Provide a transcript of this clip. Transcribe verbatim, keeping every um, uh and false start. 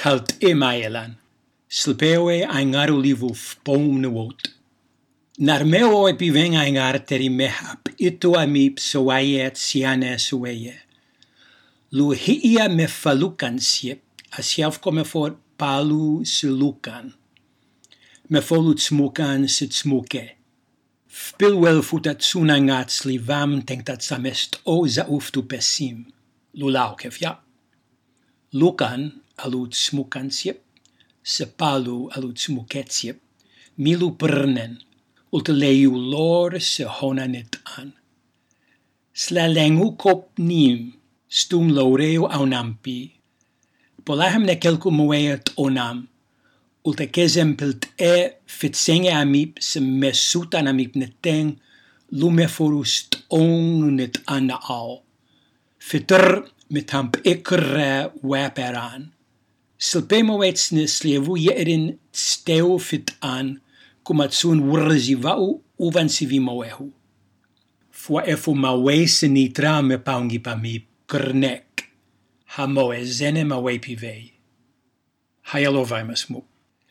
Kalt e maelan. Slpeoe aingaru livu fpom nwot. Nar meo e piveng aingar teri mehap, ito amip soayet siane sueye. Lu hiia me falukan siep, asiaf come for palu silukan. Me folut smukan sit smuke. Fpilwel futat sunangat slivam tengtat samest o zauftu pesim. Lulau kefja. Lukan alut smukan siep, se palu alut smuket siep, milu pernen. Ulteleu lor se honanet an. Slalengu kop nim, stum laureo aunampi. Polahem ne kelku moeet onam. Ulte kezem pilt e fitsenge amip se mesutan amip neteng, lume forust ong net an au. Fitter met hamp ekkerre waperan. Silpe moets ne slevu jerin steu fit an, kumatsun wurzi vau uvan sivi moehu. Fua efu mawe sinitra me paungi pami kernek. Ha moe zene mawe pivei. Hayalovaimas muk.